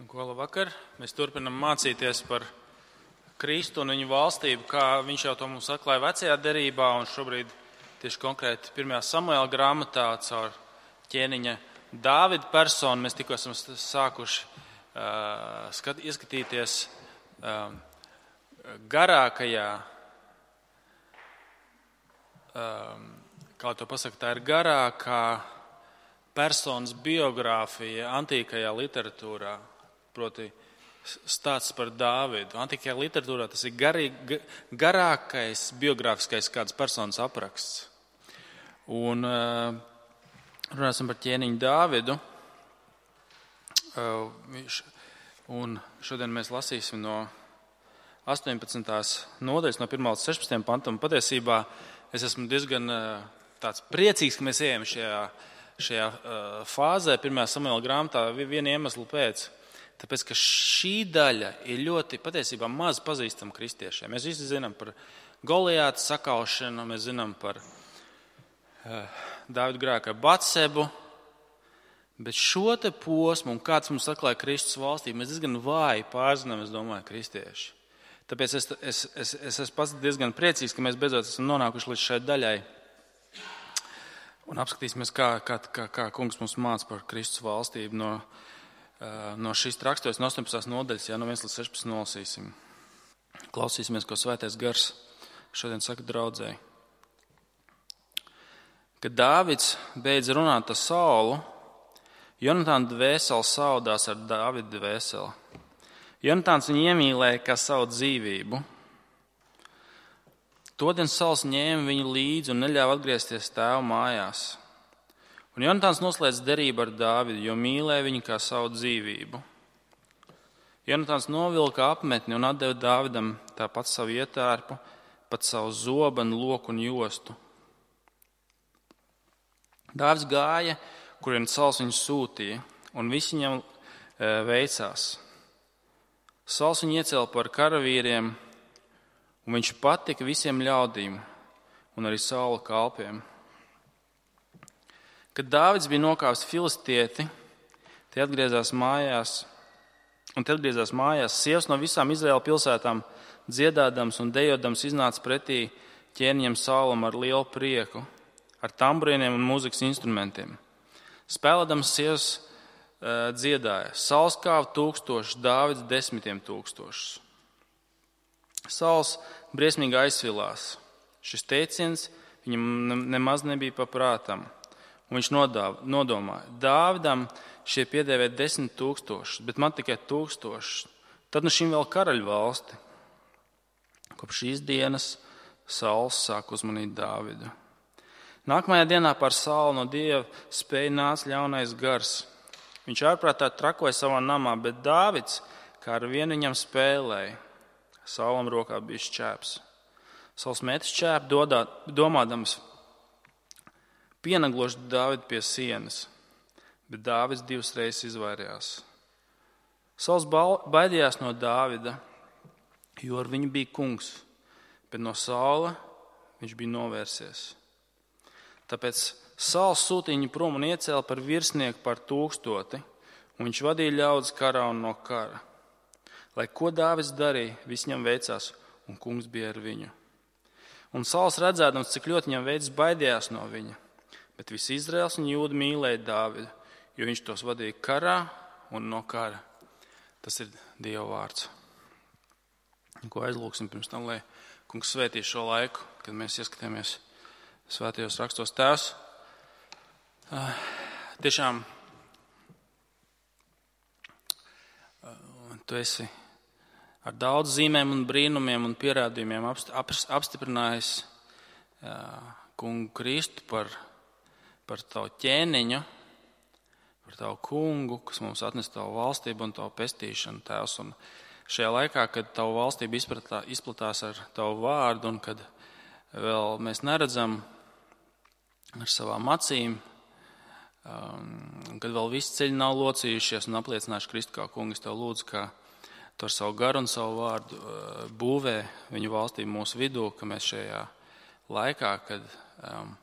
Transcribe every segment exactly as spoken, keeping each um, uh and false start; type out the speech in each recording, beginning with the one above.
Ko labvakar. Mēs turpinam mācīties par Kristu un viņu valstību, kā viņš jau to mums atklāja vecajā derībā, un šobrīd tieši konkrēti pirmajā Samuēla grāmatā caur ķēniņa Dāvida personu mēs tikko esam sākuši uh, skat, ieskatīties uh, garākajā, uh, kā to pasaka, tā ir garākā personas biogrāfija antīkajā literatūrā. Proti stāsts par Dāvidu. Antīkajā literatūrā tas ir garī, garākais biogrāfiskais kādas personas apraksts. Un uh, runāsim par ķēniņu Dāvidu. Uh, viņš, un šodien mēs lasīsim no astoņpadsmitās nodaļas, no pirmā līdz sešpadsmitajam pantam. Patiesībā es esmu diezgan uh, tāds priecīgs, ka mēs ejam šajā, šajā uh, fāzē, pirmajā Samuēla grāmatā, viena iemesla pēc. Tāpēc, ka šī daļa ir ļoti patiesībā maz pazīstama kristiešiem. Mēs visi zinām par Golijāta sakaušanu, mēs zinām par uh, Dāvida grēku ar Batsebu, bet šo te posmu, un kāds mums atklāja Kristus valstību, mēs diezgan vāji pārzinām, es domāju, kristieši. Tāpēc es, es, es, es esmu pats diezgan priecīgs, ka mēs beidzot esam nonākuši līdz šai daļai. Un apskatīsimies, kā, kā, kā, kā kungs mums māca par Kristus valstību no No šīs raksturas, no astoņpadsmitās nodaļas, jā, no viens līdz sešpadsmit nolasīsim. Klausīsimies, ko Svētais Gars šodien saka draudzēji. Kad Dāvids beidz runāt ar Saulu, Jonatāna dvēsele saudās ar Dāvida dvēseli. Jonatāns viņu iemīlēja kā savu dzīvību. Todien Sauls ņēma viņu līdzi un neļāva atgriezties tēva mājās. Un Jonatāns noslēdz derību ar Dāvidu, jo mīlēja viņu kā savu dzīvību. Jonatāns novilka apmetni un atdeva Dāvidam tāpat savu ietērpu, pat savu zobenu, loku un jostu. Dāvids gāja, kurien Sauls viņu sūtīja, un visi viņam e, veicās. Sauls viņu iecēla par karavīriem, un viņš patika visiem ļaudīm un arī Saula kalpiem. Kad Dāvids bija nokāvis filistieti, tie atgriezās mājās, un te atgriezās mājās, sievas no visām Izraēla pilsētām dziedādams un dejodams iznāca pretī ķēniņam Saulam ar lielu prieku, ar tamburīniem un mūzikas instrumentiem. Spēlēdams sievas uh, dziedāja, Sauls kāva tūkstošus, Dāvids desmitiem tūkstošus. Sauls briesmīgi aizsvilās. Šis teiciens viņam nemaz nebija paprātam. Un viņš nodomāja, Dāvidam šie piedēvē desmit tūkstošus, bet man tikai tūkstošus. Tad nu šim vēl karaļu valsti. Kopš šīs dienas Sauls sāk uzmanīt Dāvidu. Nākamajā dienā par Saulu no Dieva spēja nāca ļaunais gars. Viņš ārprātā trakoja savā namā, bet Dāvids, kā ar vienu viņam spēlēja, Saulam rokā bija šķēps. Sauls met šķēpu domādams, pienagloši Dāvidu pie sienas, bet Dāvids divas reizes izvairījās. Sauls baidījās no Dāvida, jo ar viņu bija kungs, bet no Saula viņš bija novērsies. Tāpēc Sauls sūtīja viņu prom un iecēla par virsnieku par tūkstoti, un viņš vadīja ļaudis karā un no kara. Lai ko Dāvids darīja, viss viņam veicās, un kungs bija ar viņu. Un Sauls redzēdams, cik ļoti viņam veids, baidījās no viņa. Bet visi Izraels un Jūda mīlēja Dāvidu, jo viņš tos vadīja karā un no kara. Tas ir Dieva vārds. Ko aizlūksim pirms tam, lai kungs svētī šo laiku, kad mēs ieskatāmies svētajos rakstos. Tēvs, tiešām tu esi ar daudz zīmēm un brīnumiem un pierādījumiem apstiprinājis kungu Kristu par par tavu ķēniņu, par tavu kungu, kas mums atnes tavu valstību un tavu pestīšanu, Tēvs. Un šajā laikā, kad tavu valstību izplatā, izplatās ar tavu vārdu un kad vēl mēs neredzam ar savām acīm, um, kad vēl visi ceļi nav locījušies un apliecinājuši Kristu kā kungu, es tev lūdzu, ka tu ar savu garu un savu vārdu uh, būvē viņu valstību mūsu vidū, ka mēs šajā laikā, kad um,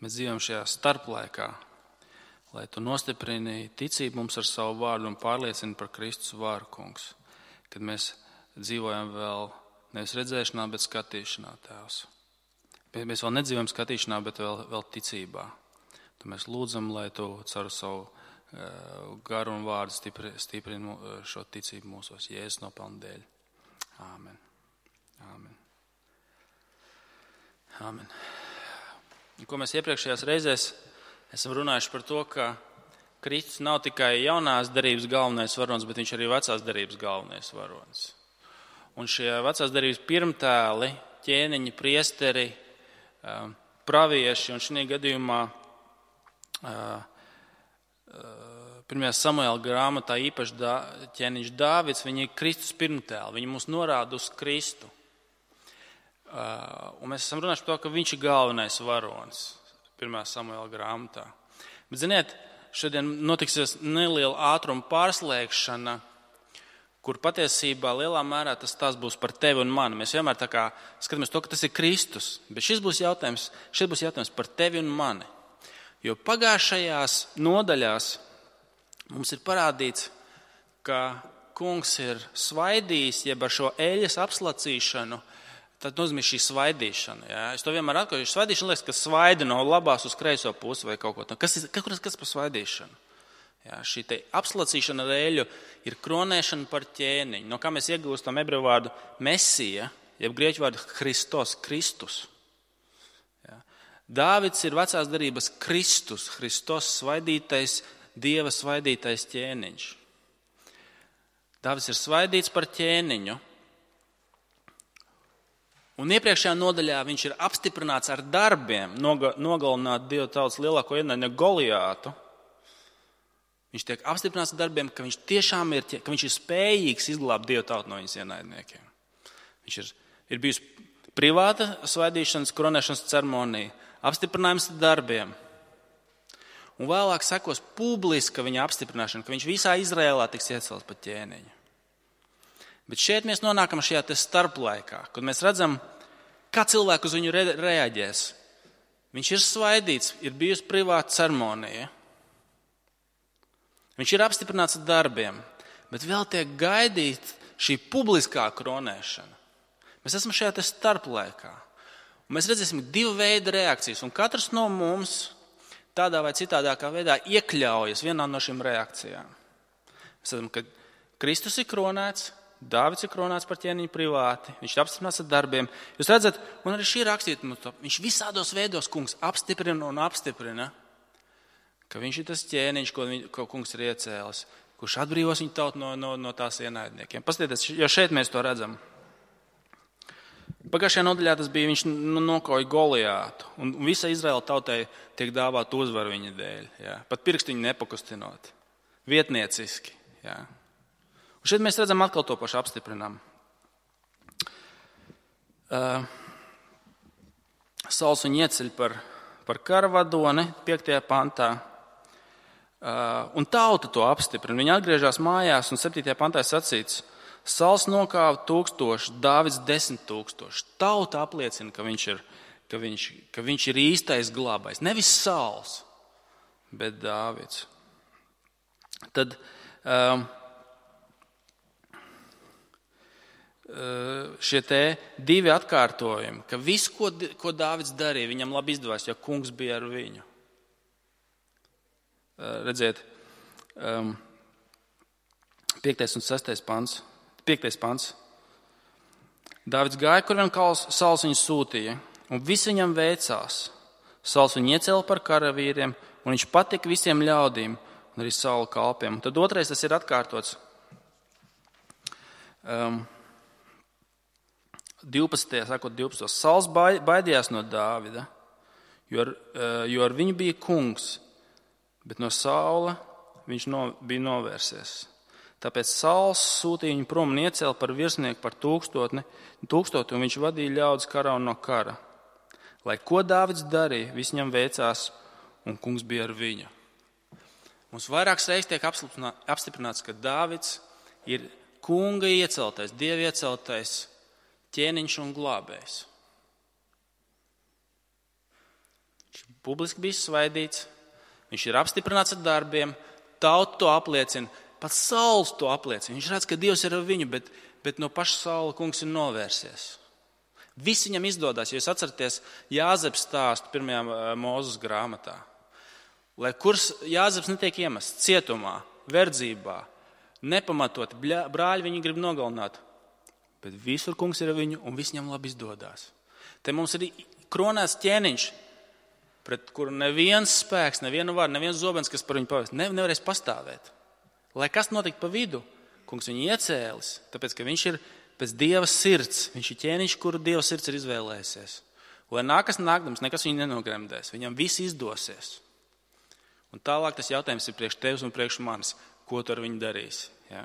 mēs dzīvojam šajā starplaikā lai tu nostiprini ticību mums ar savu vārdu un pārliecini par Kristus vāru, kungs, kad mēs dzīvojam vēl nevis redzēšanā, bet skatīšanā, Tēvs. Mēs vēl nedzīvojam skatīšanā, bet vēl, vēl ticībā. Tu mēs lūdzam, lai tu caur savu uh, garu un vārdu stipri, stiprini šo ticību mūsos, Jēzus nopelna dēļ. Āmen. Āmen. Āmen. Ko mēs iepriekšējās reizēs esam runājuši par to, ka Kristus nav tikai jaunās derības galvenais varonis, bet viņš arī vecās derības galvenais varonis. Un šie vecās derības pirmtēli, ķēniņi, priesteri, pravieši, un šī gadījumā pirmajā Samuēla grāmatā īpaši ķēniņš Dāvids, viņi ir Kristus pirmtēli, viņi mūs norāda uz Kristu. Un mēs esam runājuši par to, ka viņš ir galvenais varonis pirmajā Samuēla grāmatā. Bet, ziniet, šodien notiksies neliela ātruma pārslēgšana, kur patiesībā lielā mērā tas tās būs par tevi un mani. Mēs vienmēr tā kā skatāmies to, ka tas ir Kristus, bet šis būs jautājums, šis būs jautājums par tevi un mani. Jo pagājušajās nodaļās mums ir parādīts, ka kungs ir svaidījis, jeb ar šo eļas apslacīšanu, tad nozīmē šī svaidīšana. Ja? Es to vienmēr atklāju, jo svaidīšana liekas, ka svaida no labās uz kreiso pusi vai kaut ko. Kas ir kas, kas par svaidīšanu? Ja? Šī te apslacīšana ar eļu ir kronēšana par ķēniņu. No kā mēs iegūstam ebreju vārdu mesija, jeb grieķu vārdu Christos, Kristus. Ja? Dāvids ir vecās derības Kristus, Kristos svaidītais, Dieva svaidītais ķēniņš. Dāvids ir svaidīts par ķēniņu. Un iepriekšējā nodaļā viņš ir apstiprināts ar darbiem, nogalināt Dieva tautas lielāko ienaidnieku Goliātu. Viņš tiek apstiprināts ar darbiem, ka viņš tiešām ir, ka viņš ir spējīgs izglābt Dieva tautu no viņas ienaidniekiem. Viņš ir, ir bijusi privāta svaidīšanas, koronēšanas ceremonija, apstiprinājums ar darbiem. Un vēlāk sekos publiska viņa apstiprināšana, ka viņš visā Izrēlā tiks iecelts par ķēniņu. Bet šeit mēs nonākam šajā te starplaikā, kad mēs redzam, kā cilvēku uz viņu re- reaģēs. Viņš ir svaidīts, ir bijusi privāta ceremonija. Viņš ir apstiprināts ar darbiem, bet vēl tiek gaidīt šī publiskā kronēšana. Mēs esam šajā te starplaikā. Un mēs redzēsim divu veidu reakcijas, un katrs no mums tādā vai citādākā veidā iekļaujas vienā no šīm reakcijām. Mēs redzam, ka Kristus ir kronēts, Dāvids ir kronēts par ķēniņu privāti, viņš ir apstiprināts ar darbiem. Jūs redzat, un arī šī rakstīta, viņš visādos veidos kungs apstiprina un apstiprina, ka viņš ir tas ķēniņš, ko, viņ, ko kungs ir iecēlis, kurš atbrīvos viņu tautu no, no, no tās ienaidniekiem. Paskatieties, jo šeit mēs to redzam. Pagājušajā nodaļā tas bija, viņš nokauja Goliātu, un visa Izraēla tautai tiek dāvāt uzvaru viņa dēļ. Jā. Pat pirkstiņu nepakustinot. Vietnieciski. Jā. Un šeit mēs redzam atkal to pašu apstiprinām. Uh, Sauls viņu ieceļ par, par karavadoni piektajā pantā. Uh, un tauta to apstiprina. Viņi atgriežas mājās un septītajā pantā sacīts, Sauls nokāva tūkstoši, Dāvids desmit tūkstoši. Tauta apliecina, ka viņš ir, ka viņš, ka viņš ir īstais glābājs. Nevis Sauls, bet Dāvids. Tad um, šie te divi atkārtojumi, ka viss, ko, ko Dāvids darīja, viņam labi izdevās, jo kungs bija ar viņu. Redziet, um, piektais un sestais pants. Piektais pants. Dāvids gāja, kur vien Sauls viņu sūtīja, un viss viņam veicās. Sauls viņu iecēla par karavīriem, un viņš patika visiem ļaudīm, un arī Saula kalpiem. Un tad otrais tas ir atkārtots. Um, divpadsmitajā sākot divpadsmitajā Sauls baidījās no Dāvida, jo ar, jo ar viņu bija kungs, bet no Saula viņš no, bija novērsies. Tāpēc Sauls sūtīja viņu prom un iecēla par virsnieku par tūkstotni, tūkstoti, un viņš vadīja ļaudis karā un no kara. Lai ko Dāvids darīja, viss viņam veicās, un kungs bija ar viņu. Mums vairākas reizes tiek apstiprināts, ka Dāvids ir kunga ieceltais, Dieva ieceltais ķēniņš un glābējs. Viņš publiski bija svaidīts, Viņš ir apstiprināts ar darbiem, tauta to apliecina, pat saules to apliecina. Viņš redz, ka Dievs ir ar viņu, bet, bet no paša saula kungs ir novērsies. Viss viņam izdodas, jo jūs atceraties Jāzeps stāstu pirmajā Mūzes grāmatā. Lai kurs Jāzeps netiek iemests cietumā, verdzībā, nepamatot, brāļi viņu grib nogalināt, bet visur kungs ir ar viņu un viss viņam labi izdodas. Te mums ir kronēts ķēniņš, pret kuru neviens spēks, neviena vara, neviens zobens, kas par viņu pavēst, ne, nevarēs pastāvēt. Lai kas notikt pa vidu, kungs viņu iecēlis, tāpēc, ka viņš ir pēc Dieva sirds, viņš ir ķēniņš, kuru Dieva sirds ir izvēlējusies. Lai nākas nākdams, nekas viņu nenogremdēs, viņam viss izdosies. Un tālāk tas jautājums ir priekš tevis un priekš manis, ko tu ar viņu darīsi. Ja?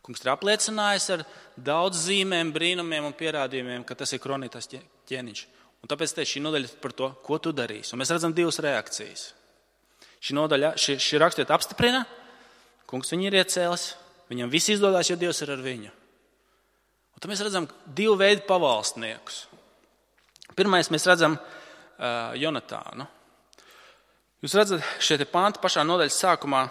Kungs ir apliecinājis ar daudz zīmēm, brīnumiem un pierādījumiem, ka tas ir kronītās ķēniņš. Un tāpēc te šī nodaļa par to, ko tu darīsi. Un mēs redzam divas reakcijas. Šī nodaļa, šī, šī rakstiet apstiprina, kungs viņu ir iecēlis, viņam viss izdodas, jo Dievs ir ar viņu. Un tad mēs redzam divu veidu pavalstniekus. Pirmais mēs redzam uh, Jonatānu. Jūs redzat, šie panti pašā nodaļas sākumā,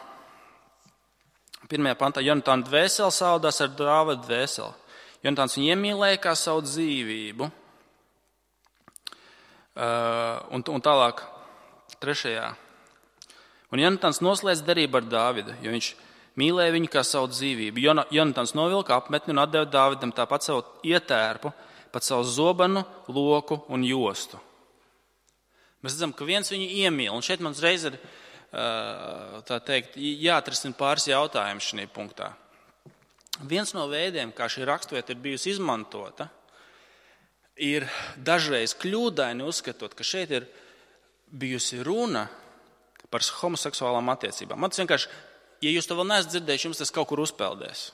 pirmajā pantā, Jonatāna dvēsele saudās ar Dāvida dvēseli. Jonatāns viņu iemīlēja kā savu dzīvību. Uh, un, un tālāk, trešajā. Un Jonatāns noslēdz derību ar Dāvidu, jo viņš mīlēja viņu kā savu dzīvību. Jonatāns novilka apmetni un atdeva Dāvidam tāpat savu ietērpu, pat savu zobenu, loku un jostu. Mēs redzam, ka viens viņu iemīl. Un šeit man uzreiz ir uh, tā teikt, jāatrisina pāris jautājumus šajā punktā. Viens no veidiem, kā šī raksturvieta ir bijusi izmantota, ir dažreiz kļūdaini uzskatot, ka šeit ir bijusi runa par homoseksuālām attiecībām. Man tas vienkārši, ja jūs to vēl neesat dzirdējuši, jums tas kaut kur uzpeldēs.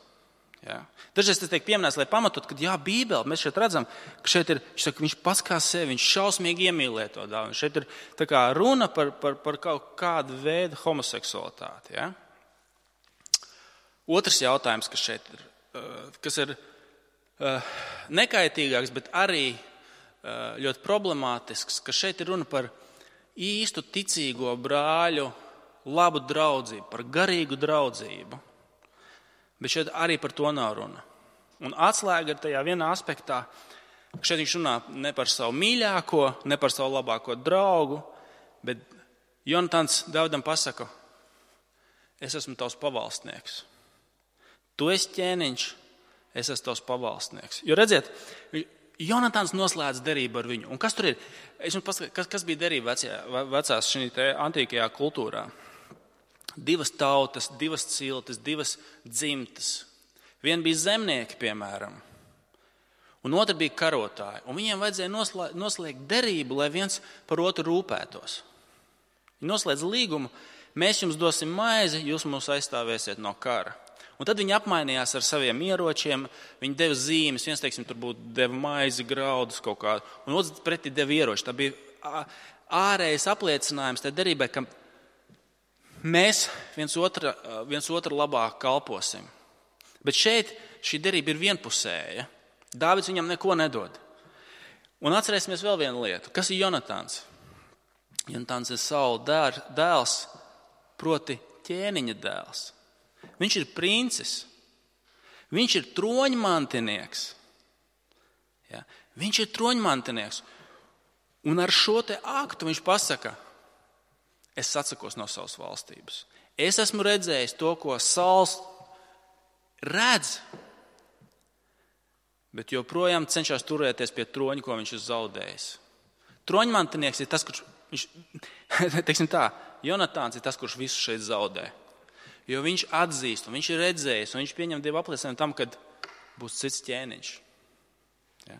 Ja? Dažreiz tas tiek pieminēts, lai pamatot, ka jā, Bībele, mēs šeit redzam, ka šeit ir, viņš saka, viņš pats kā sevi, viņš šausmīgi iemīlē to dāvinu. Šeit ir tā kā runa par, par, par kaut kādu veidu homoseksualitāti. Ja? Otrs jautājums, kas šeit ir, kas ir nekaitīgāks, bet arī ļoti problemātisks, ka šeit ir runa par īstu ticīgo brāļu labu draudzību, par garīgu draudzību. Bet šeit arī par to nav runa. Un atslēga ir tajā vienā aspektā, ka šeit viņš runā ne par savu mīļāko, ne par savu labāko draugu, bet Jonatāns Dāvidam pasaka, es esmu tavs pavalstnieks. Tu esi ķēniņš, es esmu tavs pavalstnieks. Jo redziet, Jonatāns noslēdz derību ar viņu. Un kas tur ir? Es jums paskatīju, kas, kas bija derība vecajā, vecās šī te antīkajā kultūrā. Divas tautas, divas ciltis, divas dzimtas. Viena bija zemnieki, piemēram, un otra bija karotāji. Un viņiem vajadzēja noslēgt, noslēgt derību, lai viens par otru rūpētos. Viņi noslēdz līgumu, mēs jums dosim maizi, jūs mūs aizstāvēsiet no kara. Un tad viņi apmainījās ar saviem ieročiem, viņi deva zīmes, viens, teiksim, tur būtu deva maizi, graudus kaut kādu, un otrs pretī deva ieroči. Tā bija ārējais apliecinājums tai derībai, ka mēs viens otru, viens otru labāk kalposim. Bet šeit šī derība ir vienpusēja. Dāvids viņam neko nedod. Un atcerēsimies vēl vienu lietu. Kas ir Jonatāns? Jonatāns ir Saula dēls, proti ķēniņa dēls. Viņš ir princis. Viņš ir troņmantinieks. Ja? Viņš ir troņmantinieks. Un ar šo te aktu viņš pasaka, es atsakos no savas valstības. Es esmu redzējis to, ko Sauls redz, bet joprojām cenšas turēties pie troņa, ko viņš ir zaudējis. Troņmantinieks ir tas, kurš, viņš, teiksim tā, Jonatāns ir tas, kurš visu šeit zaudē. Jo viņš atzīst, un viņš ir redzējis, un viņš pieņem Dievu apliecinājumu tam, kad būs cits ķēniņš. Ja?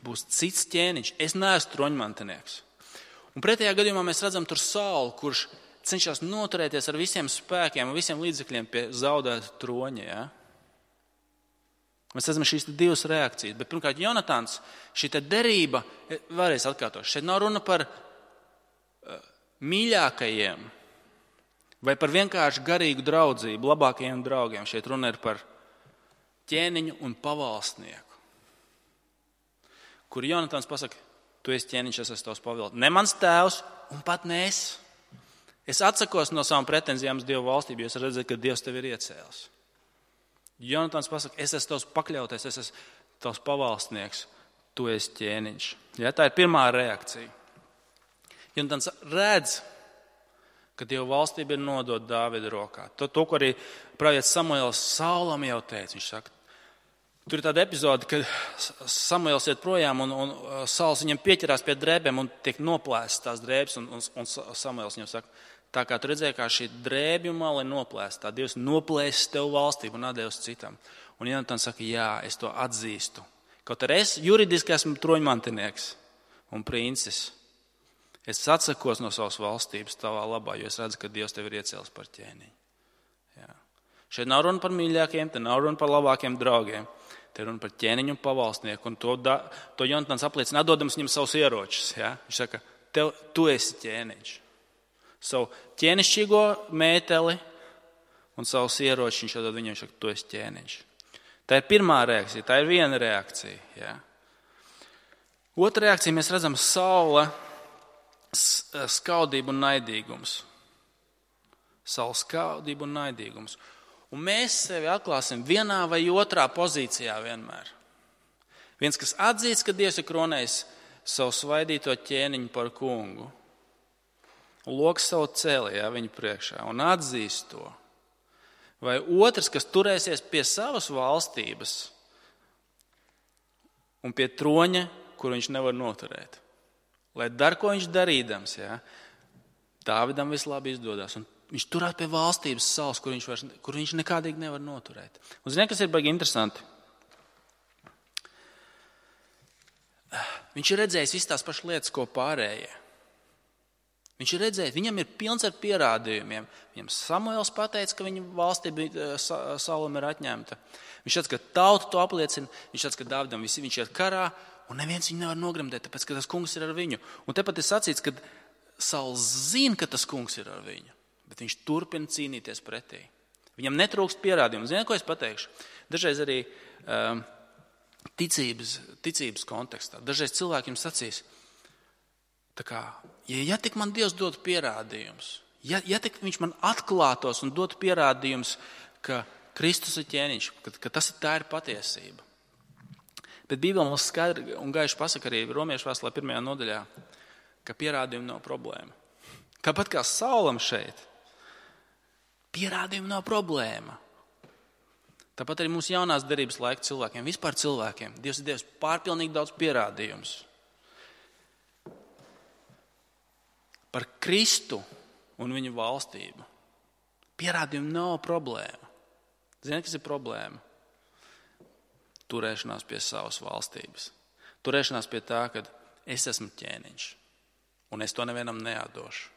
Būs cits ķēniņš. Es neesmu troņmantinieks. Un pretējā gadījumā mēs redzam tur Saulu, kurš cenšas noturēties ar visiem spēkiem un visiem līdzekļiem pie zaudēta troņa. Ja? Mēs redzam šīs divas reakcijas. Bet pirmkārt, Jonatāns, šī derība, vēlreiz atkārtošu, šeit nav runa par uh, mīļākajiem vai par vienkārši garīgu draudzību, labākajiem draugiem. Šeit runa ir par ķēniņu un pavalstnieku, kur Jonatāns pasaka, tu esi ķēniņš, es esmu tavs pavalstnieks. Ne mans tēvs un pat ne es. Es atsakos no savām pretenzijām uz Dievu valstību, jo es redzu, ka Dievs tevi ir iecēlis. Jonatans pasaka, es esmu tavs pakļautais, es esmu tavs pavalstnieks, tu esi ķēniņš. Ja, tā ir pirmā reakcija. Jonatans redz, ka Dieva valstība ir nodota Dāvida rokā. To, to ko arī pravietis Samuēls Saulam jau teica. Viņš saka, tur ir tāda epizode, kad Samuēls iet projām un, un Sauls viņam pieķerās pie drēbēm un tiek noplēstas tās drēbes. Un, un, un Samuēls viņam saka, tā kā tu redzēji, kā šī drēbju mala ir noplēsta, tā Dievs noplēsis tev valstību un atdevis citam. Un Jonatans saka, jā, es to atzīstu. Kaut arī es juridiski esmu troņmantinieks un princis. Es atsakos no savas valstības tavā labā, jo es redzu, ka Dievs tevi ir iecēlis par ķēniņu. Jā. Šeit nav runa par mīļākiem, te nav runa par labākiem draugiem. Te ir runa par ķēniņu un pavalstnieku. Un to, da, to Jonatans apliecina, atdodams viņam savus ieročus. Ja? Viņš saka, tev, tu esi ķēniņš. Savu ķēnišķīgo mēteli un savus ieročus viņš atdod viņam, viņš saka, tu esi ķēniņš. Tā ir pirmā reakcija, tā ir viena reakcija. Ja? Otra reakcija, mēs redzam Saula skaudību un naidīgums. Saula skaudību un naidīgums. Un mēs sevi atklāsim vienā vai otrā pozīcijā vienmēr. Viens, kas atzīst, ka Dievs ir kronējis savu svaidīto ķēniņu par kungu. Un loks savu celi, ja, viņu priekšā, un atzīst to. Vai otrs, kas turēsies pie savas valstības un pie troņa, kur viņš nevar noturēt. Lai dar, ko viņš darīdams, ja, Dāvidam vislabāk izdodas. Un viņš turās pie valstības savas, kur viņš, vairs, kur viņš nekādīgi nevar noturēt. Un ziniet, kas ir baigi interesanti? Viņš ir redzējis visas tās pašas lietas, ko pārējie. Viņš ir redzējis, viņam ir pilns ar pierādījumiem. Viņam Samuēls pateica, ka viņa valstība Saulam ir atņemta. Viņš redz, ka tauta to apliecina. Viņš redz, ka Dāvidam visi viņš iet karā, un neviens viņu nevar nogremdēt, tāpēc, ka tas kungs ir ar viņu. Un tepat ir sacīts, ka Sauls zina, ka tas kungs ir ar viņu, bet viņš turpina cīnīties pretī. Viņam netrūkst pierādījumu. Ziniet, ko es pateikšu? Dažreiz arī um, ticības, ticības kontekstā. Dažreiz cilvēki jums sacīs, tā kā, ja, ja tik man Dievs dod pierādījums, ja, ja tik viņš man atklātos un dod pierādījums, ka Kristus ir ķēniņš, ka, ka tas ir tā ir patiesība. Bet Bībele mums skaidri un gaiši pasaka arī Romiešu vēstulē pirmajā nodaļā, ka pierādījumi nav problēma. Tāpat kā Saulam šeit, pierādījumi nav problēma. Tāpat arī mūsu jaunās derības laika cilvēkiem, vispār cilvēkiem, Dievs ir devis pārpilnīgi daudz pierādījumus. Par Kristu un viņa valstību. Pierādījumi nav problēma. Ziniet, kas ir problēma? Turēšanās pie savas valstības. Turēšanās pie tā, ka es esmu ķēniņš un es to nevienam neatdošu.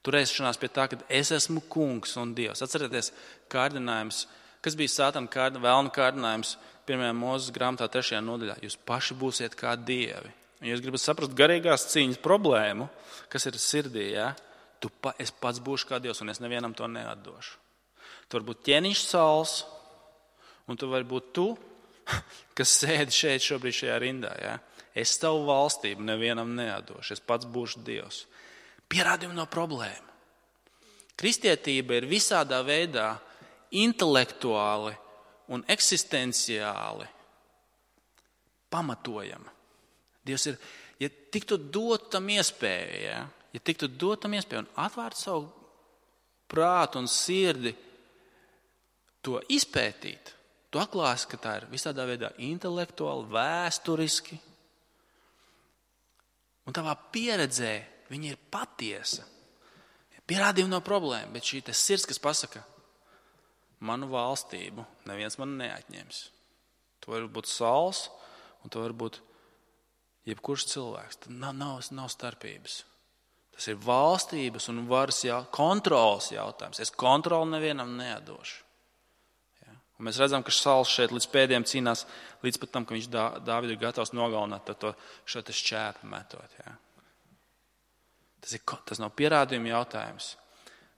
Turēšanās pie tā, ka es esmu kungs un Dievs. Atcerieties kārdinājums, kas bija Sātana kārd, vēlna kārdinājums pirmajā Mūzes grāmatā trešajā nodaļā. Jūs paši būsiet kā dievi. Ja jūs gribat saprast garīgās cīņas problēmu, kas ir sirdī, ja? tu pa, es pats būšu kā Dievs un es nevienam to neatdošu. Tu vari būt ķēniņš Sauls un tu vari būt tu, kas sēdi šeit šobrīd šajā rindā. Ja? Es tavu valstību nevienam neatdošu, es pats būšu Dievs. Pierādījumi nav problēma. Kristietība ir visādā veidā intelektuāli un eksistenciāli pamatojama. Dievs ir, ja tiktu dot tam iespēju, ja, ja tiktu dot tam iespēju un atvērt savu prātu un sirdi to izpētīt, tu atklāsi, ka tā ir visādā veidā intelektuāli, vēsturiski. Un tavā pieredzē viņa ir patiesa. Pierādījumi nav problēma, bet šī sirds, kas pasaka, manu valstību neviens man neatņems. Tu vari būt Sauls un tu vari būt jebkurš cilvēks. Tad nav, nav, nav starpības. Tas ir valstības un varas jau, kontrolas jautājums. Es kontroli nevienam neatdošu. Ja? Un mēs redzam, ka Sauls šeit līdz pēdējiem cīnās, līdz pat tam, ka viņš Dāvidu ir gatavs nogalināt, tad to šo te šķēpu metot. Ja? Tas, ir, tas nav pierādījuma jautājums.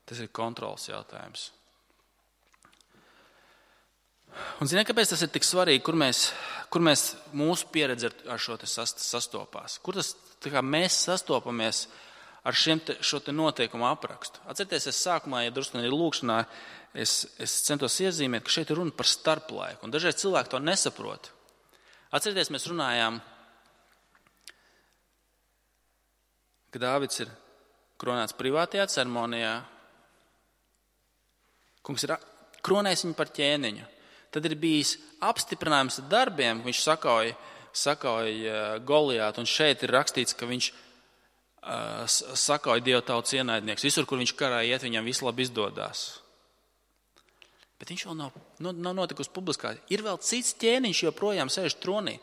Tas ir kontrolas jautājums. Un ziniet, kāpēc tas ir tik svarīgi, kur mēs, kur mēs mūsu pieredze ar šo te sastopās? Kur tas, tā kā mēs sastopamies ar šiem te, šo te noteikumu aprakstu. Atcerieties, es sākumā, ja drusku arī lūkšanā, es, es centos iezīmēt, ka šeit ir runa par starplaiku, un dažreiz cilvēki to nesaprot. Atcerieties, mēs runājām, ka Dāvids ir kronēts privātajā ceremonijā. Kungs ir kronējis viņu par ķēniņu. Tad ir bijis apstiprinājums ar darbiem, viņš sakauja, sakauja Goliātu, un šeit ir rakstīts, ka viņš uh, sakauja Dieva tautas ienaidnieks. Visur, kur viņš karā iet, viņam viss labi izdodās. Bet viņš vēl nav, nav notikusi publiskā. Ir vēl cits ķēniņš, joprojām sēž tronī.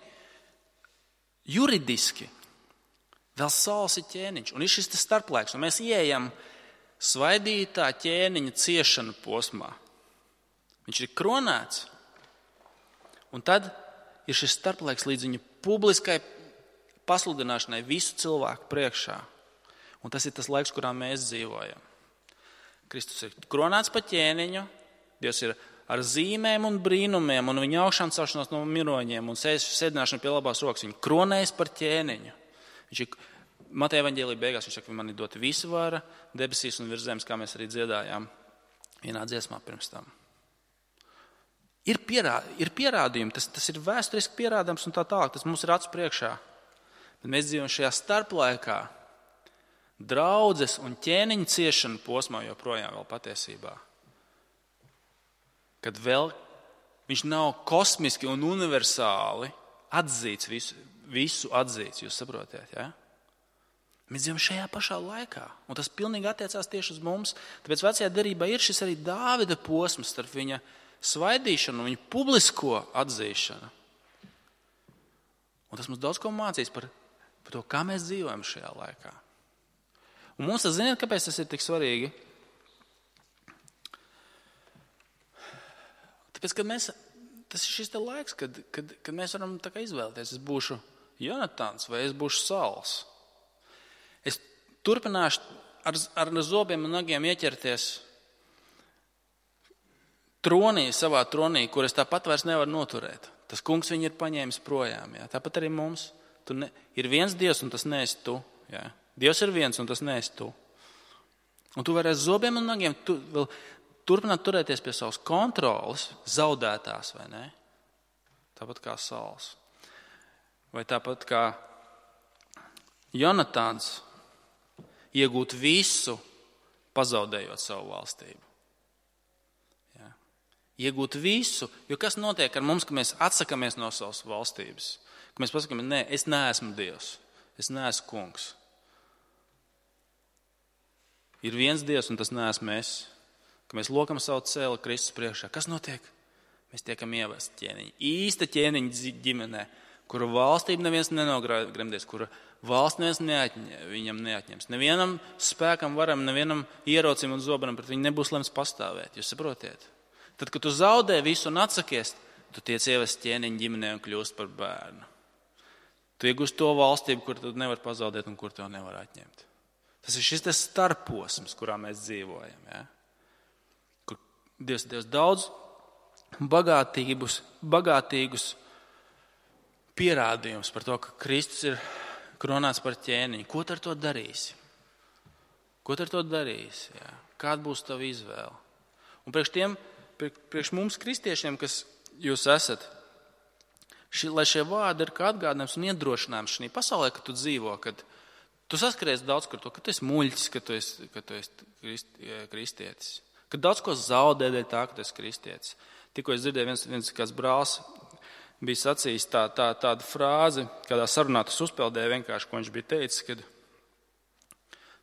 Juridiski vēl Sauls ir ķēniņš, un ir šis starplaiks, un mēs ieejam svaidītā ķēniņa ciešana posmā. Viņš ir kronēts, un tad ir šis starplaiks līdz viņa publiskai pasludināšanai visu cilvēku priekšā. Un tas ir tas laiks, kurā mēs dzīvojam. Kristus ir kronēts pa ķēniņu, Dievs ir ar zīmēm un brīnumiem, un viņa augšām celšanos no miroņiem, un sēdināšana pie labās rokas. Viņu kronējas par ķēniņu. Viņš ir Mateja evaņģēlija beigās, viņš saka, man ir dota visa vara debesīs un virs zemes, kā mēs arī dziedājām vienā dziesmā pirms tam. Ir, pierā, ir pierādījumi, tas, tas ir vēsturiski pierādāms un tā tālāk, tas mums ir acu priekšā. Bet mēs dzīvojam šajā starplaikā, draudzes un ķēniņa ciešana posmā joprojām vēl patiesībā. Kad vēl viņš nav kosmiski un universāli atzīts, visu, visu atzīts, jūs saprotiet, ja? Mēs dzīvojam šajā pašā laikā, un tas pilnīgi attiecās tieši uz mums. Tāpēc vecajā derībā ir šis arī Dāvida posms starp viņa svaidīšanu un viņa publisko atzīšanu. Un tas mums daudz ko mācīs par, par to, kā mēs dzīvojam šajā laikā. Un mums tas, ziniet, kāpēc tas ir tik svarīgi? Tāpēc, kad mēs, tas ir šis te laiks, kad, kad, kad mēs varam tā kā izvēlēties, es būšu Jonatans vai es būšu Sauls. Es turpināšu ar, ar zobiem un nagiem ieķerties tronī, savā tronī, kur es tāpat vairs nevaru noturēt. Tas kungs viņu ir paņēmis projām. Jā. Tāpat arī mums. Tu ne, ir viens Dievs un tas neesi tu. Jā. Dievs ir viens un tas neesi tu. Un tu vari ar zobiem un nagiem tu, vēl turpināt turēties pie savas kontrolas, zaudētās vai ne? Tāpat kā Sauls. Vai tāpat kā Jonatans iegūt visu, pazaudējot savu valstību. Jā. Iegūt visu, jo kas notiek ar mums, ka mēs atsakamies no savas valstības? Ka mēs pasakām, nē, es neesmu Dievs, es neesmu kungs. Ir viens Dievs un tas neesmu es. Ka mēs lokam savu cēli Kristus priekšā. Kas notiek? Mēs tiekam ievesti ķēniņi. Īsta ķēniņa ģimenē, kura valstība neviens nenogremdēs, kura valsts neviens neatņem, viņam neatņems. Nevienam spēkam, varam, nevienam ierocim un zobenam pret viņu nebūs lemts pastāvēt. Jūs saprotiet? Tad, kad tu zaudē visu un atsakies, tu tiec ievesti ķēniņa ģimenē un kļūst par bērnu. Tu iegūst to valstību, kur tu nevar pazaudēt un kur to nevar atņemt. Tas ir šis tas starposms, kurā mēs dzīvojam. Ja? Kur Dievs, Dievs daudz bagātīgus, bagātīgus pierādījums par to, ka Kristus ir kronāts par ķēniņu. Ko tu ar to darīsi? Ko tu ar to darīsi? Jā. Kāda būs tava izvēle? Un priekš tiem, priekš mums kristiešiem, kas jūs esat, ši, lai šie vārdi ir kā atgādinājums un iedrošinājums šī pasaulē, kad tu dzīvo, kad tu saskaries daudz ar to, ka tu esi muļķis, ka tu esi, ka tu esi krist, kristietis. Kad daudz ko zaudē dēļ tā, ka tu esi kristietis. Tikko es dzirdēju, viens, viens kāds brālis bija sacījis tā, tā, tādu frāzi, kādā sarunā tas uzpeldēja vienkārši, ko viņš bija teicis, kad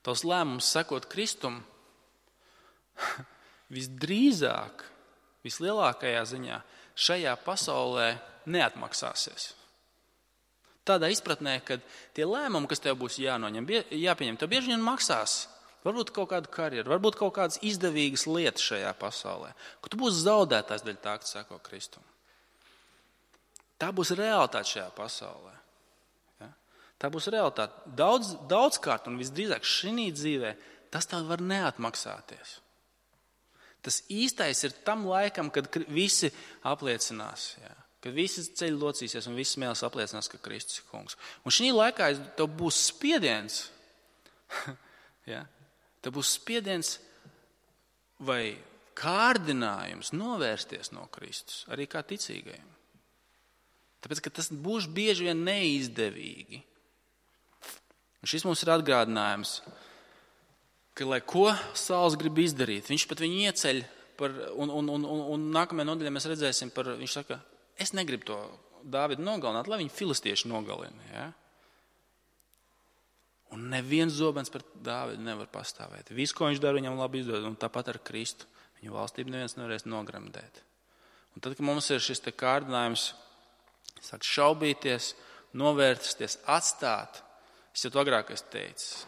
tavs lēmums sekot Kristum visdrīzāk, vislielākajā ziņā šajā pasaulē neatmaksāsies. Tādā izpratnē, ka tie lēmumi, kas tev būs jānoņem, jāpieņem, tev bieži vien maksās. Varbūt kaut kādu karjeru, varbūt kaut kādas izdevīgas lietas šajā pasaulē, ka tu būsi zaudētājs dēļ tā, ka tu seko Kristum. Tā būs realitāte šajā pasaulē. Ja? Tā būs realitāte. Daudz, daudzkārt un visdrīzāk šī dzīvē tas tev var neatmaksāties. Tas īstais ir tam laikam, kad visi apliecinās, ja? Kad visi ceļi locīsies un visi smēlis apliecinās, ka Kristus ir kungs. Un šī laikā tev būs spiediens Ja? Te būs spiediens vai kārdinājums novērsties no Kristus, arī kā ticīgajiem. Tāpēc, ka tas būs bieži vien neizdevīgi. Un šis mums ir atgādinājums, ka, lai ko Sauls grib izdarīt, viņš pat viņu ieceļ, par, un, un, un, un, un nākamajā nodaļā mēs redzēsim, par, viņš saka, es negribu to Dāvidu nogalināt, lai viņu filistieši nogalina. Ja? Un neviens zobens par Dāvidu nevar pastāvēt. Visu, ko viņš dara, viņam labi izdod, un tāpat ar Kristu. Viņu valstību neviens nevarēs nogremdēt. Un tad, kad mums ir šis te kārdinājums, sāk šaubīties, novērtsties, atstāt, es jau to agrāk esmu teicis,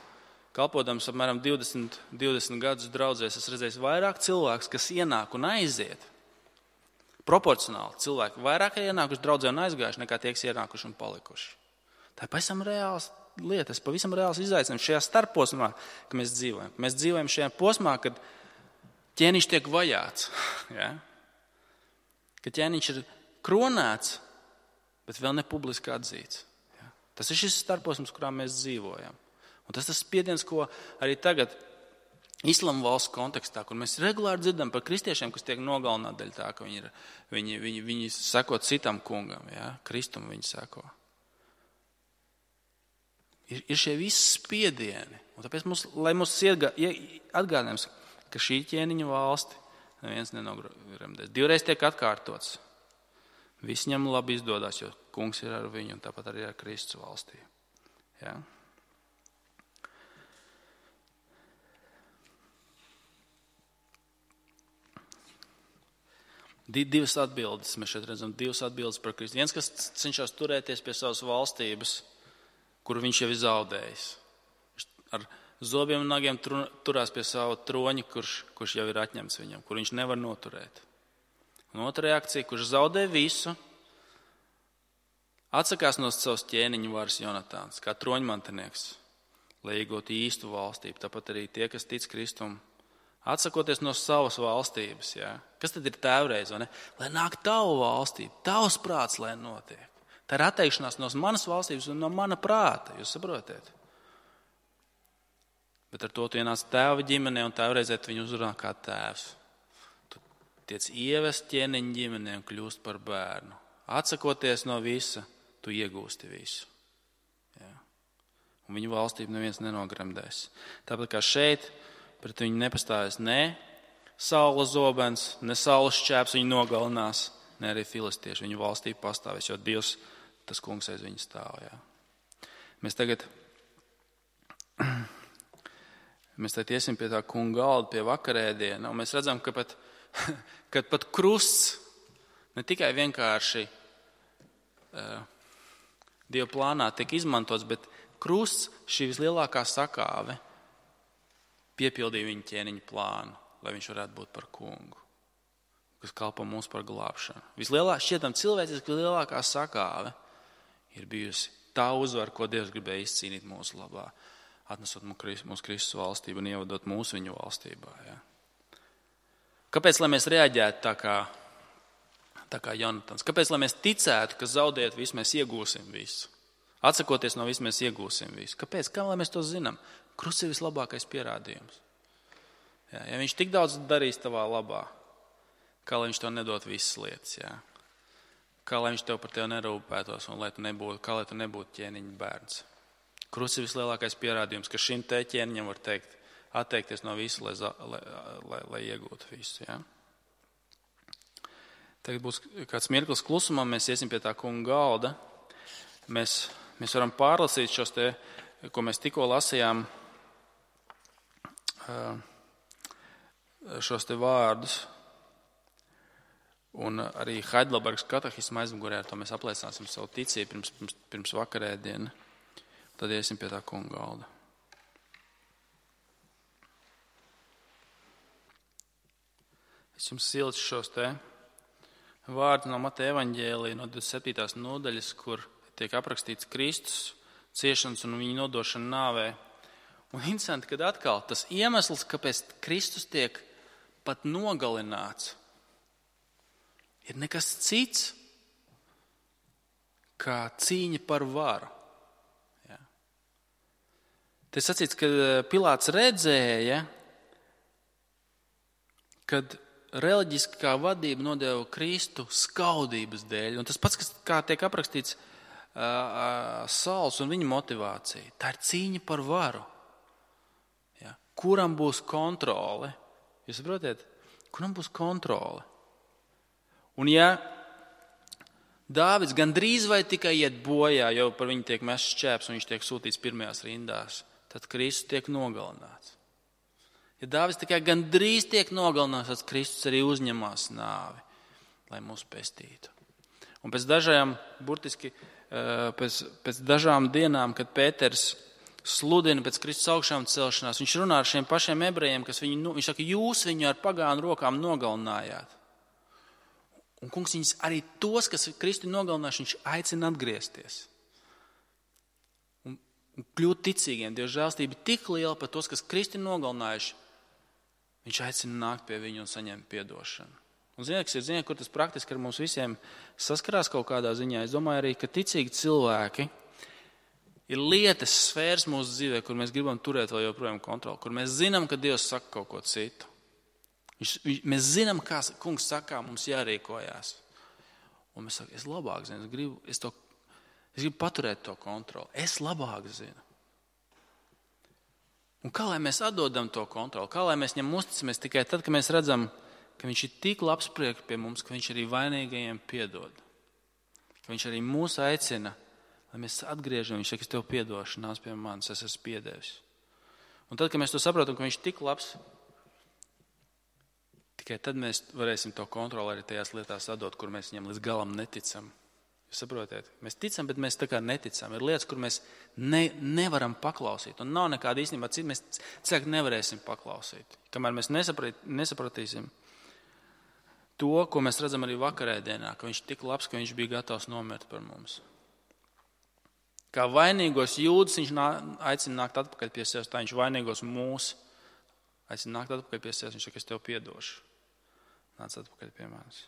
kalpodams apmēram divdesmit, divdesmit gadus draudzēs, es redzēju vairāk cilvēks, kas ienāk un aiziet. Proporcionāli cilvēki vairāk ir ienākuši draudzē un aizgājuši, nekā tie, kas ienākuši un palikuši. Tā ir pavisam reāls lietas, pavisam reāls izaicinājums šajā starposmā, ka mēs dzīvojam. Mēs dzīvojam šajā posmā, kad ķēniņš tiek vajāts. Ja? Kad ķēniņš ir kronēts, bet vēl ne publiski atzīts. Ja? Tas ir šis starposms, kurā mēs dzīvojam. Un tas tas spiediens, ko arī tagad Islama valsts kontekstā, kur mēs regulāri dzirdam par kristiešiem, kas tiek nogalināti dēļ tā, ka viņi, ir, viņi, viņi, viņi seko citam kungam, ja? Kristum viņi seko. Ir, ir šie visi spiedieni. Un tāpēc mums, lai mums atgādinājums, ka šī ķēniņa valsti neviens nenogremdēs. Divreiz tiek atkārtots. Viss ņem labi izdodas, jo kungs ir ar viņu un tāpat arī ar Kristus valstī. Ja? Divas atbildes, mēs šeit redzam divas atbildes par Kristu. Viens, kas cenšas turēties pie savas valstības, kuru viņš jau ir zaudējis. Ar zobiem un nagiem turās pie sava troņa, kurš, kurš jau ir atņemts viņam, kur viņš nevar noturēt. Un otra reakcija, kurš zaudē visu, atsakās no savas ķēniņa varas Jonatāns, kā troņmantinieks, lai iegūtu īstu valstību. Tāpat arī tie, kas tic Kristum, atsakoties no savas valstības. Ja? Kas tad ir tēvreiz? Lai nāk tavu valstību, tavs prāts, lai notiek. Tā ir atteikšanās no manas valstības un no mana prāta, jūs saprotiet? Bet ar to tu ienāc tēva ģimenē un tēvreizē tu viņu uzrunā kā tēvs. Tu tiec ievest ķēniņa ģimenē un kļūst par bērnu. Atsakoties no visa, tu iegūsti visu. Ja? Un viņu valstību neviens nenogremdēs. Tāpat kā šeit, pret viņu nepastāvēs ne saules zobens, ne saules šķēps viņu nogalinās, ne arī filistieši. Viņu valstību pastāvēs, jo Dievs, tas kungs aiz viņu stāv. Ja? Mēs tagad... Mēs tad iesim pie tā kunga galda, pie vakarēdiena, un mēs redzam, ka pat, ka pat krusts ne tikai vienkārši uh, Dieva plānā tiek izmantots, bet krusts, šī vislielākā sakāve, piepildīja viņa ķēniņa plānu, lai viņš varētu būt par kungu, kas kalpo mums par glābšanu. Vislielākā, šķietam cilvēciski vislielākā sakāve ir bijusi tā uzvara, ko Dievs gribēja izcīnīt mūsu labā. Atnesot mūsu Kristus valstību un ievadot mūsu viņu valstībā. Ja? Kāpēc, lai mēs reaģētu tā kā, tā kā Jonatans? Kāpēc, lai mēs ticētu, ka zaudēt visu, mēs iegūsim visu? Atsakoties no visu, mēs iegūsim visu. Kāpēc? Kā lai mēs to zinām? Krusts ir vislabākais pierādījums. Ja, ja viņš tik daudz darīs tavā labā, kā lai viņš tev nedot visas lietas? Ja? Kā lai viņš tev par tevi nerūpētos un lai tu nebūtu, kā lai tu nebūtu ķēniņa bērns? Krusts ir vislielākais pierādījums, ka šim te ķēniņam var teikt, atteikties no visu, lai, lai, lai, lai iegūtu visu. Ja? Tagad būs kāds mirklis klusumā, mēs iesim pie tā kunga galda. Mēs, mēs varam pārlasīt šos te, ko mēs tikko lasījām, šos te vārdus. Un arī Heidelbergas katehisma aizmugurē ar to mēs apliecināsim savu ticību pirms, pirms, pirms vakarēdiena. Tad iesim pie tā kunga galda. Es jums siltu šos te vārdus no Mateja evaņģēlija no divdesmit septītās nodaļas, kur tiek aprakstīts Kristus ciešanas un viņa nodošana nāvē. Un interesanti, kad atkal tas iemesls, kāpēc Kristus tiek pat nogalināts, ir nekas cits kā cīņa par varu. te sacīts, ka Pilāts redzēja, kad reliģiskā vadība nodeva Kristu skaudības dēļ. Un tas pats, kas kā tiek aprakstīts uh, Sauls un viņa motivācija, tā ir cīņa par varu. Ja? Kuram būs kontrole? Jūs saprotiet? Kuram būs kontrole? Un ja Dāvids gandrīz vai tikai iet bojā, jo par viņu tiek mests šķēps un viņš tiek sūtīts pirmajās rindās, tad Kristus tiek nogalināts. Ja Dāvids tikai gandrīz tiek nogalināts, tad Kristus arī uzņemās nāvi, lai mūs pestītu. Un pēc dažām, burtiski pēc, pēc dažām dienām, kad Pēters sludina pēc Kristus augšām celšanās, viņš runā ar šiem pašiem ebrejiem, kas viņu, viņš saka, jūs viņu ar pagānu rokām nogalinājāt. Un kungs viņus arī tos, kas Kristu nogalinājuši, viņš aicina atgriezties. Un, un kļūt ticīgiem. Dieva žēlstība tik liela par tos, kas Kristu nogalinājuši, viņš aicina nākt pie viņu un saņemt piedošanu. Un ziniet, kas ir, ziniet, kur tas praktiski ar mums visiem saskarās kaut kādā ziņā. Es domāju arī, ka ticīgi cilvēki ir lietas sfēras mūsu dzīvē, kur mēs gribam turēt vēl joprojām kontroli, kur mēs zinām, ka Dievs saka kaut ko citu. Viņš, mēs zinām, kā kungs saka, mums jārīkojās. Un mēs sakam, es labāk zinu, es gribu, es to, es gribu paturēt to kontroli. Es labāk zinu. Un kā lai mēs atdodam to kontroli? Kā lai mēs viņam uzticamies tikai tad, kad mēs redzam, ka viņš ir tik labs priekš pie mums, ka viņš arī vainīgajiem piedod. Ka viņš arī mūs aicina, lai mēs atgriežam, viņš saka, es tev piedošu, nāc pie manis, es esmu piedevis. Un tad, kad mēs to saprotam, ka viņš ir tik labs, tikai tad mēs varēsim to kontroli arī tajās lietās atdot, kur mēs viņam līdz galam neticam. Jūs saprotiet? Mēs ticam, bet mēs tā kā neticam. Ir lietas, kur mēs ne, nevaram paklausīt. Un nav nekāda īstenībā cita, mēs cilvēki nevarēsim paklausīt. Kamēr mēs nesaprat, nesapratīsim to, ko mēs redzam arī vakarēdienā, ka viņš tik labs, ka viņš bija gatavs nomirt par mums. Kā vainīgos jūdas viņš nā, aicina nākt atpakaļ pie sevis, tā viņš vainīgos mūs aicina nākt atpakaļ pie sevis, viņš saka, es tev piedošu. Nāc atpakaļ pie manis.